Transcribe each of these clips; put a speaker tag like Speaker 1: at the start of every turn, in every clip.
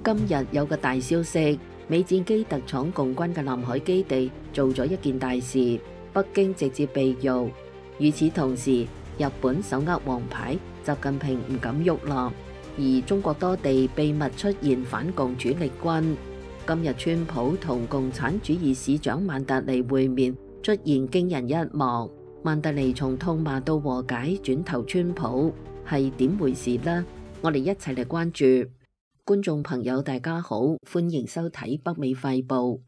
Speaker 1: 今日有個大消息，美戰機特闖共軍嘅南海基地，做咗一件大事，北京直接被辱。與此同時，日本手握黃牌，習近平唔敢喐啦。而中國多地秘密出現反共主力軍。今日川普同共產主義市長曼達尼會面，出現驚人一幕。曼達尼從痛罵到和解，轉投川普，係點回事呢？我哋一齊嚟關注。觀眾朋友大家好，歡迎收睇北美快報。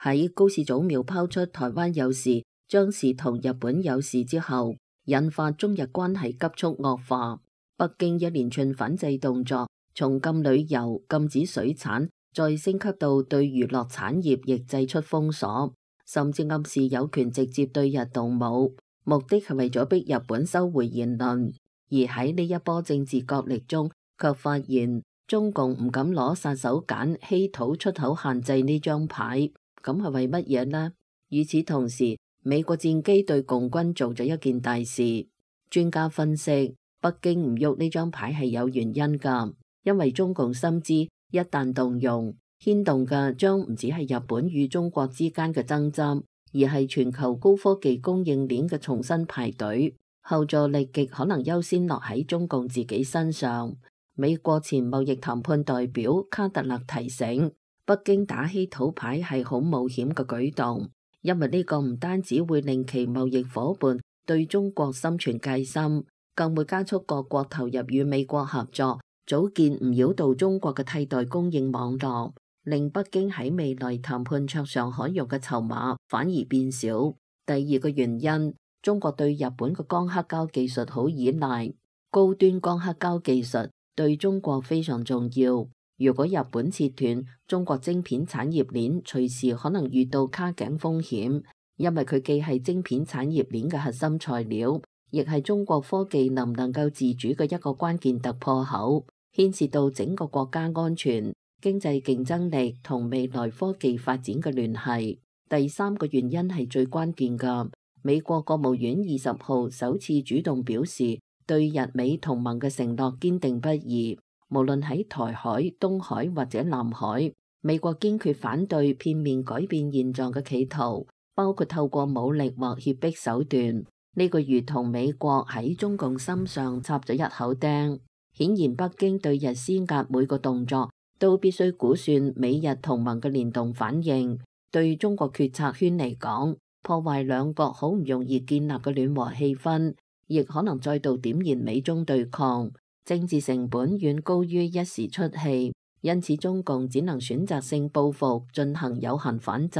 Speaker 1: 喺高市早苗拋出台灣有事，將是同日本有事之後，引發中日關係急速惡化。北京一連串反制動作，從禁旅遊、禁止水產，再升級到對娛樂產業亦祭出封鎖，甚至暗示有權直接對日動武，目的係為咗逼日本收回言論。而喺呢一波政治角力中，卻發現中共唔敢攞殺手鐧稀土出口限制呢張牌，咁係為乜嘢呢？與此同時，美國戰機對共軍做咗一件大事。專家分析，北京唔喐呢張牌係有原因㗎，因為中共深知一旦動用，牽動嘅將唔止係日本與中國之間嘅爭執，而係全球高科技供應鏈嘅重新排隊。後座力極可能優先落喺中共自己身上。美國前貿易談判代表卡特勒提醒，北京打稀土牌係好冒險嘅舉動，因為呢個唔單止會令其貿易夥伴對中國心存戒心，更會加速各國投入與美國合作，組建唔擾到中國嘅替代供應網絡，令北京喺未來談判桌上可用嘅籌碼反而變少。第二個原因，中國對日本嘅光刻膠技術好依賴，高端光刻膠技術對中國非常重要。如果日本切斷，中國晶片產業鏈隨時可能遇到卡頸風險，因為佢既係晶片產業鏈嘅核心材料，亦係中國科技能唔能夠自主嘅一個關鍵突破口，牽涉到整個國家安全、經濟競爭力同未來科技發展嘅聯繫。第三個原因係最關鍵嘅。美國國務院20號首次主動表示，對日美同盟嘅承諾堅定不移。無論喺台海、東海或者南海，美國堅決反對片面改變現狀嘅企圖，包括透過武力或脅迫手段。呢個如同美國喺中共心上插咗一口釘。顯然，北京對日施壓每個動作都必須估算美日同盟嘅聯動反應。對中國決策圈嚟講，破壞兩國好唔容易建立嘅暖和氣氛，亦可能再度點燃美中對抗，政治成本遠高於一時出氣，因此中共只能選擇性報復，進行有限反制。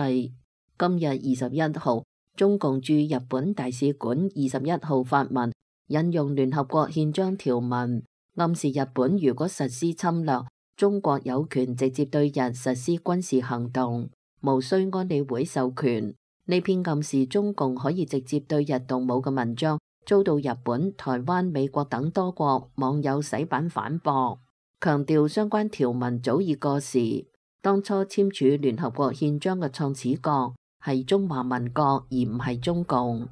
Speaker 1: 今日21號，中共駐日本大使館21號發文，引用聯合國憲章條文，暗示日本如果實施侵略，中國有權直接對日實施軍事行動，無需安理會授權。呢篇暗示中共可以直接對日動武嘅文章，遭到日本、台灣、美國等多國網友洗版反駁，強調相關條文早已過時。當初簽署聯合國憲章嘅創始國係中華民國，而唔係中共。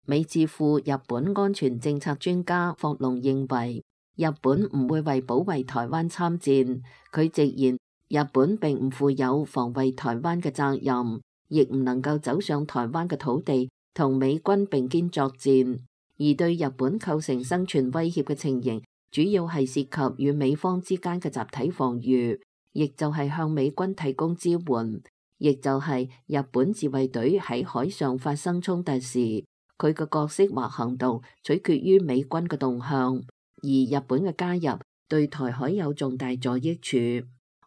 Speaker 1: 美智庫日本安全政策專家霍龍認為，日本唔會為保衛台灣參戰。佢直言，日本並唔負有防衛台灣嘅責任，亦唔能夠走上台灣嘅土地同美軍並肩作戰，而對日本構成生存威脅嘅情形，主要係涉及與美方之間嘅集體防禦，亦就係向美軍提供支援，亦就係日本自衛隊喺海上發生衝突時，佢嘅角色或行動取決於美軍嘅動向，而日本嘅加入對台海有重大助益處。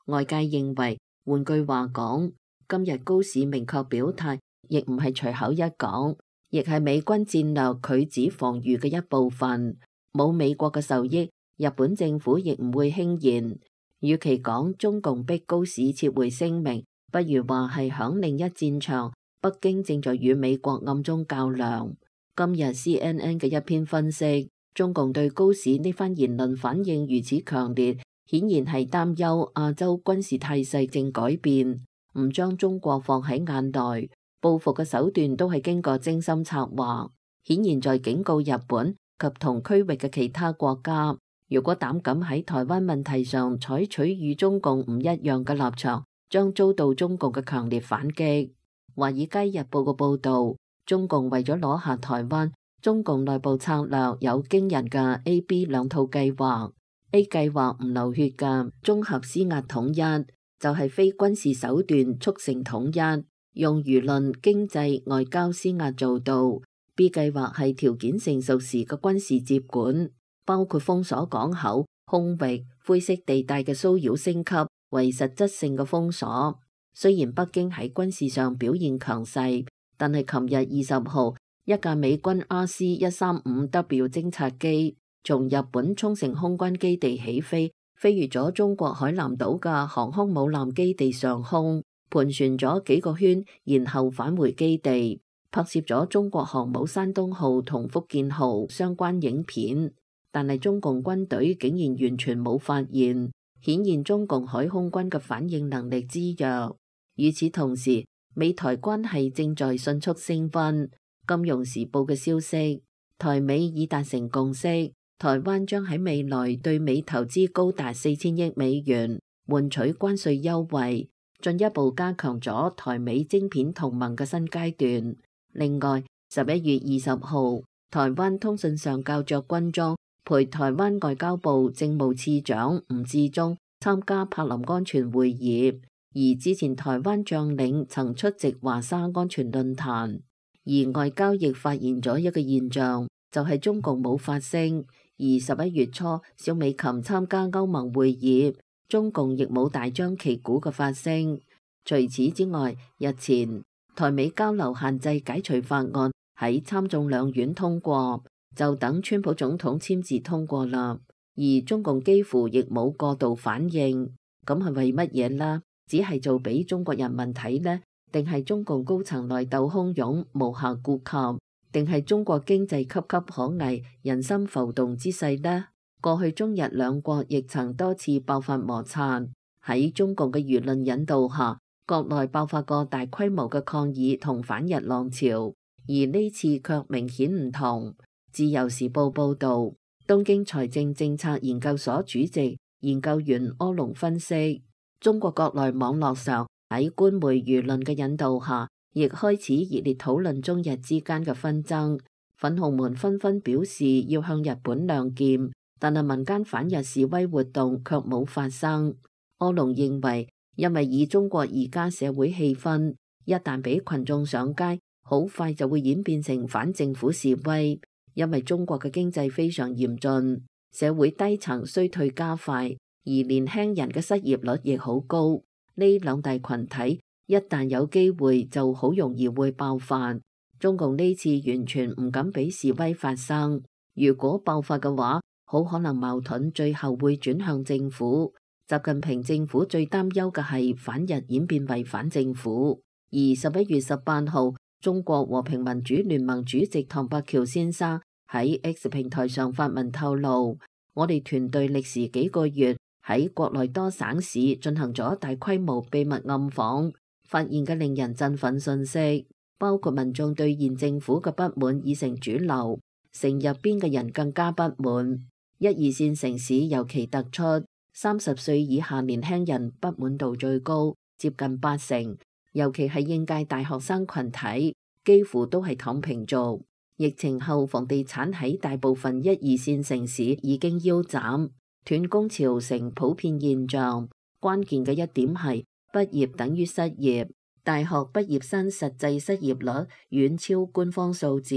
Speaker 1: 外界認為，換句話講，今日高市明確表態，亦唔係隨口一講，亦係美軍戰略拒止防禦嘅一部分。冇美國嘅受益，日本政府亦唔會輕言。與其講中共逼高市撤回聲明，不如話係響另一戰場，北京正在與美國暗中較量。今日 CNN 嘅一篇分析，中共對高市呢番言論反應如此強烈，顯然係擔憂亞洲軍事態勢正改變。唔將中國放喺眼內，報復嘅手段都係經過精心策劃，顯然在警告日本及同區域嘅其他國家，如果膽敢喺台灣問題上採取與中共唔一樣嘅立場，將遭到中共嘅強烈反擊。華爾街日報嘅報導，中共為咗攞下台灣，中共內部策略有驚人嘅 A、B 兩套計劃。A 計劃唔流血嘅綜合施壓統一，就係非軍事手段促成統一，用輿論、經濟、外交施壓做到。B 計劃係條件成熟時嘅軍事接管，包括封鎖港口、空域、灰色地帶嘅騷擾升級為實質性嘅封鎖。雖然北京喺軍事上表現強勢，但係琴日20號，一架美軍 RC-135W 偵察機從日本沖繩空軍基地起飛，飛越咗中國海南島嘅航空母艦基地上空，盤旋咗幾個圈，然後返回基地，拍攝咗中國航母山東號同福建號相關影片。但係中共軍隊竟然完全冇發現，顯現中共海空軍嘅反應能力之弱。與此同時，美台關係正在迅速升溫。金融時報嘅消息，台美已達成共識，台灣將喺未來對美投資高達4000億美元，換取關稅優惠，進一步加強咗台美晶片同盟嘅新階段。另外，11月20號，台灣通訊上校着軍裝陪台灣外交部政務次長吳志忠參加柏林安全會議。而之前台灣將領曾出席華沙安全論壇，而外交亦發現咗一個現象，就係中共冇發聲。而11月初，蕭美琴參加歐盟會議，中共亦冇大張旗鼓嘅發聲。除此之外，日前台美交流限制解除法案喺參眾兩院通過，就等川普總統簽字通過啦。而中共幾乎亦冇過度反應，咁係為乜嘢啦？只係做俾中國人民睇呢？定係中共高層內鬥洶湧無暇顧及？定係中國經濟岌岌可危、人心浮動之勢呢？過去中日兩國亦曾多次爆發摩擦，喺中共嘅輿論引導下，國內爆發過大規模嘅抗議同反日浪潮，而呢次卻明顯唔同。自由時報報導，東京財政政策研究所主席研究員柯龍分析，中國國內網絡上喺官媒輿論嘅引導下，亦開始熱烈討論中日之間嘅紛爭。粉紅們紛紛表示要向日本亮劍，但係民間反日示威活動卻冇發生。柯龍認為，因為以中國而家社會氣氛，一旦俾群眾上街，好快就會演變成反政府示威。因為中國嘅經濟非常嚴峻，社會低層衰退加快。而年輕人嘅失業率亦好高，呢兩大群體一旦有機會就好容易會爆發。中共呢次完全唔敢俾示威發生，如果爆發嘅話，好可能矛盾最後會轉向政府。習近平政府最擔憂嘅係反日演變為反政府。而11月18號，中國和平民主聯盟主席唐伯喬先生喺 X 平台上發文透露，我哋團隊歷時幾個月，喺國內多省市進行咗大規模秘密暗訪，發現嘅令人振奮信息，包括民眾對現政府嘅不滿已成主流，城入邊嘅人更加不滿。1、2線城市尤其突出，30歲以下年輕人不滿度最高，接近80%，尤其係應屆大學生群體，幾乎都係躺平族。疫情後，房地產喺大部分1、2線城市已經腰斬。斷供潮成普遍現象，關鍵嘅一點係畢業等於失業，大學畢業生實際失業率遠超官方數字，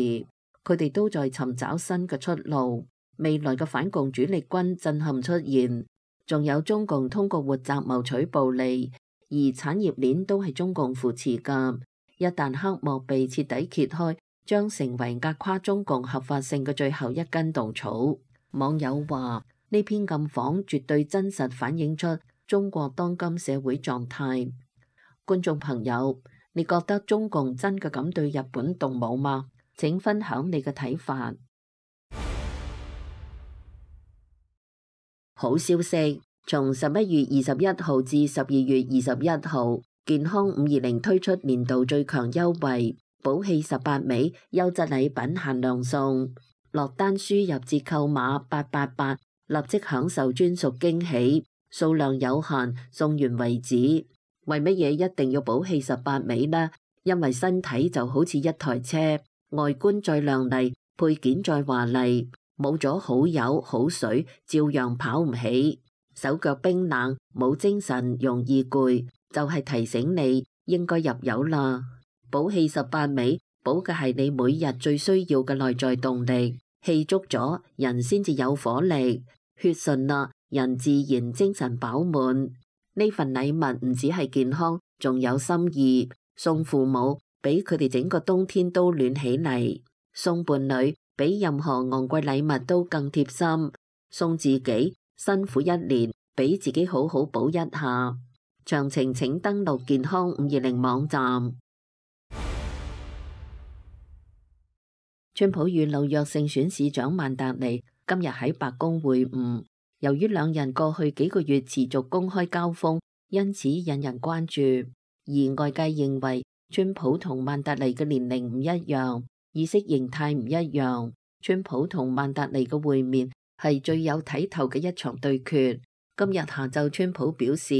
Speaker 1: 佢哋都在尋找新嘅出路。未來嘅反共主力軍震撼出現，仲有中共通過活摘謀取暴利，而產業鏈都係中共扶持㗎。一旦黑幕被徹底揭開，將成為壓垮中共合法性嘅最後一根稻草。網友話，呢篇暗訪絕對真實反映出中國當今社會狀態。觀眾朋友，你覺得中共真嘅敢對日本動武嗎？請分享你嘅睇法。好消息，從11月21號至12月21號，健康520推出年度最強優惠，寶氣18枚，優質禮品限量送。落單輸入折扣碼888。立即享受專屬驚喜，數量有限，送完為止。為乜嘢一定要寶氣18尾呢？因為身體就好似一台車，外觀再亮麗，配件再華麗，冇咗好油好水，照樣跑唔起。手腳冰冷，冇精神，容易攰，就係提醒你應該入油啦。寶氣18尾，保嘅係你每日最需要嘅內在動力。氣足咗，人先至有火力；血順啦，人自然精神飽滿。呢份禮物唔止係健康，仲有心意。送父母，俾佢哋整個冬天都暖起嚟；送伴侶，比任何昂貴禮物都更貼心；送自己，辛苦一年，俾自己好好補一下。詳情請登錄健康520網站。川普與紐約勝選市長曼達尼今日喺白宮會晤，由於兩人過去幾個月持續公開交鋒，因此引人關注。而外界認為，川普同曼達尼嘅年齡唔一樣，意識形態唔一樣。川普同曼達尼嘅會面係最有睇頭嘅一場對決。今日下晝，川普表示，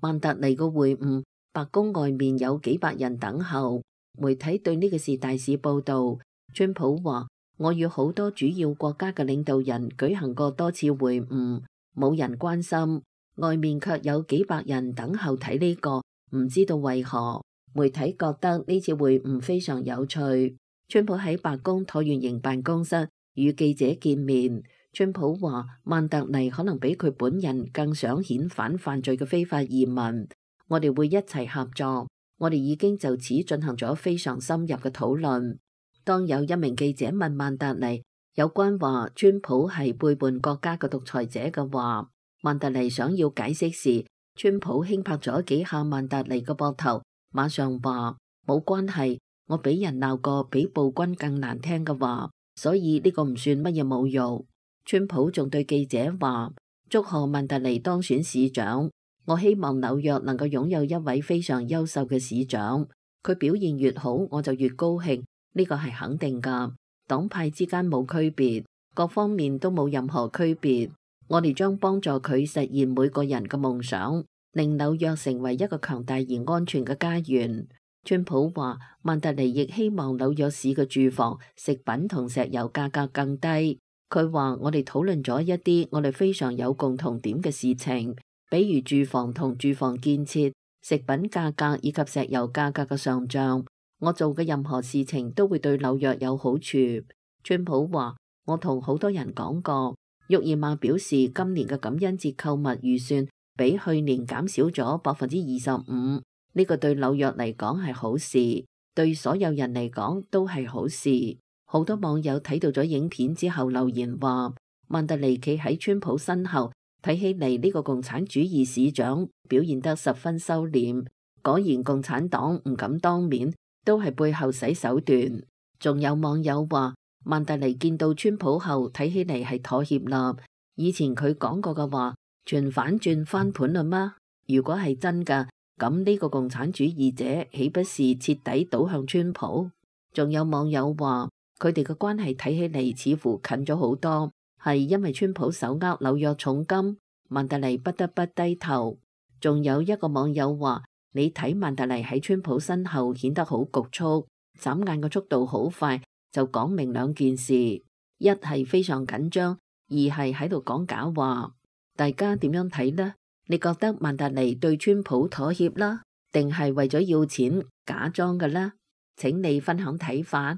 Speaker 1: 曼達尼嘅會晤，白宮外面有幾百人等候。媒體對呢個事大肆報導。川普話：我與好多主要國家嘅領導人舉行過多次會晤，冇人關心，外面卻有幾百人等候睇呢個，唔知道為何。媒體覺得呢次會晤非常有趣。川普喺白宮橢圓形辦公室與記者見面。川普話：曼達尼可能比佢本人更想遣返犯罪嘅非法移民，我哋會一齊合作。我哋已經就此進行咗非常深入嘅討論。當有一名記者問曼達尼有關話川普係背叛國家嘅獨裁者嘅話，曼達尼想要解釋時，川普輕拍咗幾下曼達尼嘅膊頭，馬上話冇關係，我俾人鬧過比暴君更難聽嘅話，所以呢個唔算乜嘢侮辱。川普仲對記者話：祝賀曼達尼當選市長，我希望紐約能夠擁有一位非常優秀嘅市長，佢表現越好，我就越高興。呢個係肯定㗎，黨派之間冇區別，各方面都冇任何區別。我哋將幫助佢實現每個人嘅夢想，令紐約成為一個強大而安全嘅家園。川普話：曼達尼亦希望紐約市嘅住房、食品同石油價格更低。佢話：我哋討論咗一啲我哋非常有共同點嘅事情，比如住房同住房建設、食品價格以及石油價格嘅上漲。我做嘅任何事情都會對紐約有好處。川普話：我同好多人講過。沃爾瑪表示，今年嘅感恩節購物預算比去年減少咗25%。呢個對紐約嚟講係好事，對所有人嚟講都係好事。好多網友睇到咗影片之後留言話：曼達尼企喺川普身後，睇起嚟呢個共產主義市長表現得十分收斂。果然共產黨唔敢當面，都係背後使手段。仲有網友話，曼達尼見到川普後睇起嚟係妥協啦。以前佢講過嘅話全反轉翻盤啦嗎？如果係真㗎，咁呢個共產主義者豈不是徹底倒向川普？仲有網友話佢哋嘅關係睇起嚟似乎近咗好多，係因為川普手握紐約重金，曼達尼不得不低頭。仲有一個網友話，你睇曼達尼喺川普身後顯得好局促，眨眼嘅速度好快，就講明兩件事：一係非常緊張，二係喺度講假話。大家點樣睇呢？你覺得曼達尼對川普妥協啦，定係為咗要錢假裝嘅呢？請你分享睇法。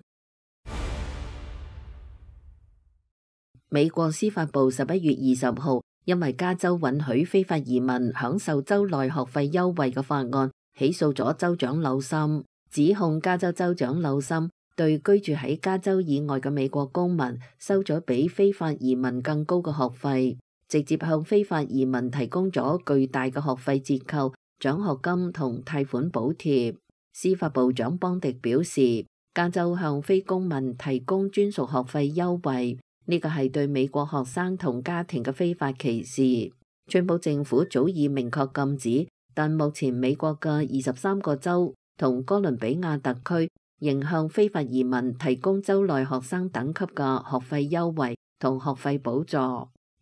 Speaker 1: 美國司法部11月20號因為加州允許非法移民享受州內學費優惠嘅法案，起訴咗州長紐森，指控加州州長紐森對居住喺加州以外嘅美國公民收咗比非法移民更高嘅學費，直接向非法移民提供咗巨大嘅學費折扣、獎學金同貸款補貼。司法部長邦迪表示，加州向非公民提供專屬學費優惠，呢個係對美國學生同家庭嘅非法歧視。川普政府早已明確禁止，但目前美國嘅23個州同哥倫比亞特區仍向非法移民提供州內學生等級嘅學費優惠同學費補助。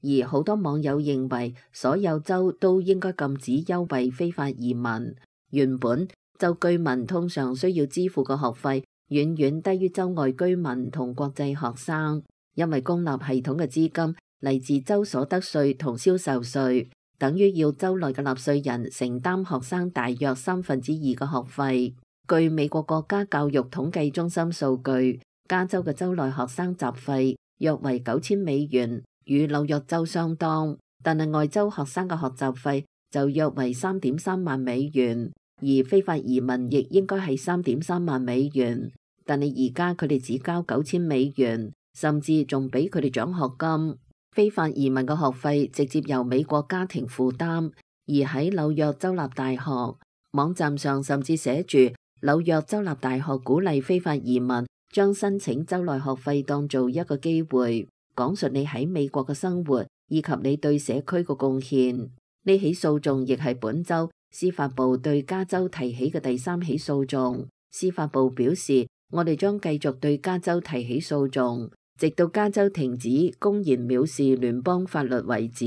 Speaker 1: 而好多網友認為所有州都應該禁止優惠非法移民。原本州居民通常需要支付嘅學費遠遠低於州外居民同國際學生，因為公立系統嘅資金嚟自州所得稅同銷售稅，等於要州內嘅納稅人承擔學生大約2/3嘅學費。據美國國家教育統計中心數據，加州嘅州內學生雜費約為$9000，與紐約州相當，但係外州學生嘅學習費就約為$3.3萬，而非法移民亦應該係$3.3萬，但係而家佢哋只交$9000，甚至仲俾佢哋獎學金。非法移民嘅學費直接由美國家庭負擔，而喺紐約州立大學網站上甚至寫住紐約州立大學鼓勵非法移民將申請州內學費當做一個機會，講述你喺美國嘅生活以及你對社區嘅貢獻。呢起訴訟亦係本州司法部對加州提起嘅第3起訴訟。司法部表示，我哋將繼續對加州提起訴訟，直到加州停止公然藐視聯邦法律為止。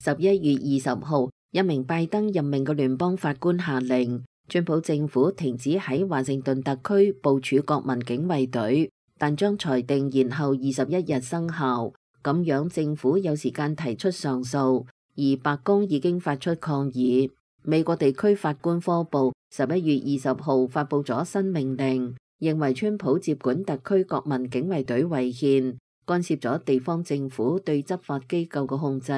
Speaker 1: 11月20號，一名拜登任命嘅聯邦法官下令，川普政府停止喺華盛頓特區部署國民警衛隊，但將裁定延後21日生效。咁樣政府有時間提出上訴，而白宮已經發出抗議。美國地區法官科部11月20號發布咗新命令，認為川普接管特區國民警衛隊違憲，干涉咗地方政府對執法機構嘅控制。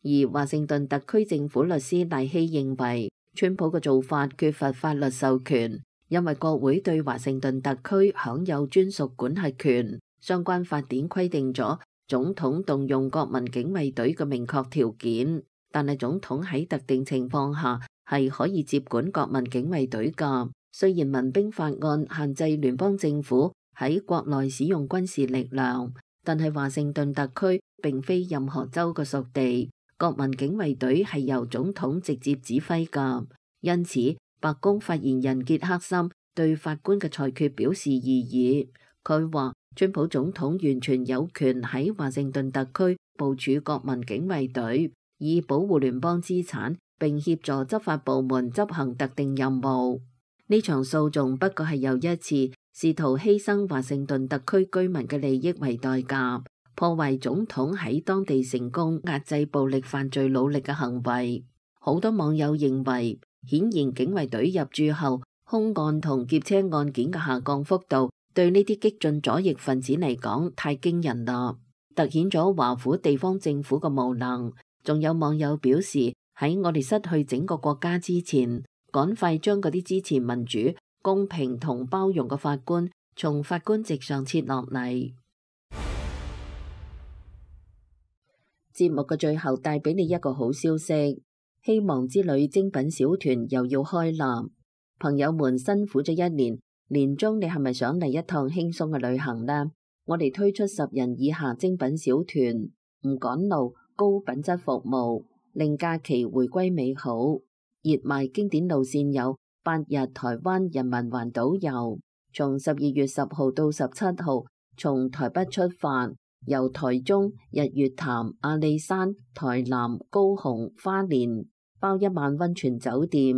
Speaker 1: 而華盛頓特區政府律師賴希認為，川普嘅做法缺乏法律授權，因為國會對華盛頓特區享有專屬管轄權，相關法典規定咗總統動用國民警衛隊嘅明確條件，但係總統喺特定情況下係可以接管國民警衛隊㗎。雖然民兵法案限制聯邦政府喺國內使用軍事力量，但係華盛頓特區並非任何州嘅屬地，國民警衛隊係由總統直接指揮㗎。因此，白宮發言人傑克森對法官嘅裁決表示異議。佢話，川普總統完全有權喺華盛頓特區部署國民警衛隊，以保護聯邦資產並協助執法部門執行特定任務。呢場訴訟不過係又一次試圖犧牲華盛頓特區居民嘅利益為代價，破壞總統喺當地成功壓制暴力犯罪努力嘅行為。好多網友認為，顯然警衛隊入駐後，兇案同劫車案件嘅下降幅度對呢啲激進左翼分子嚟講太驚人啦，凸顯咗華府地方政府嘅無能。仲有網友表示，喺我哋失去整個國家之前，趕快將嗰啲支持民主、公平同包容嘅法官從法官席上撤落嚟。節目嘅最後帶俾你一個好消息，希望之旅精品小團又要開啦！朋友們辛苦咗一年，年終你係咪想嚟一趟輕鬆嘅旅行呢？我哋推出10人以下精品小團，唔趕路，高品質服務，令假期回歸美好。熱賣經典路線有8日台灣人民環島遊，從12月10號到17號，從台北出發，由台中、日月潭、阿里山、台南、高雄、花蓮，包1晚溫泉酒店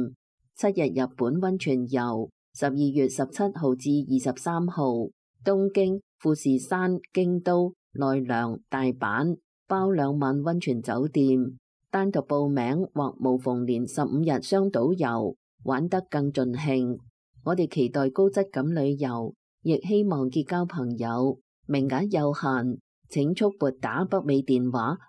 Speaker 1: ，7日日本溫泉遊，12月17號至23號，東京、富士山、京都、奈良、大阪，包2晚溫泉酒店。單獨報名或無縫連15日雙島遊，玩得更盡興。我哋期待高質感旅遊，亦希望結交朋友。名額有限，請速撥打北美電話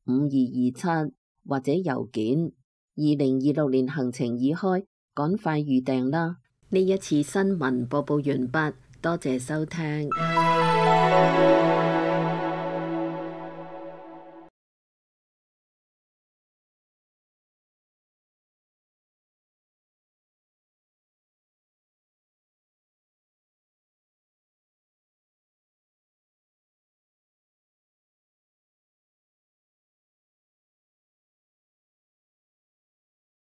Speaker 1: 855-955-5227或者郵件。2026年行程已開，趕快預訂啦！呢一次新聞播報完畢，多謝收聽。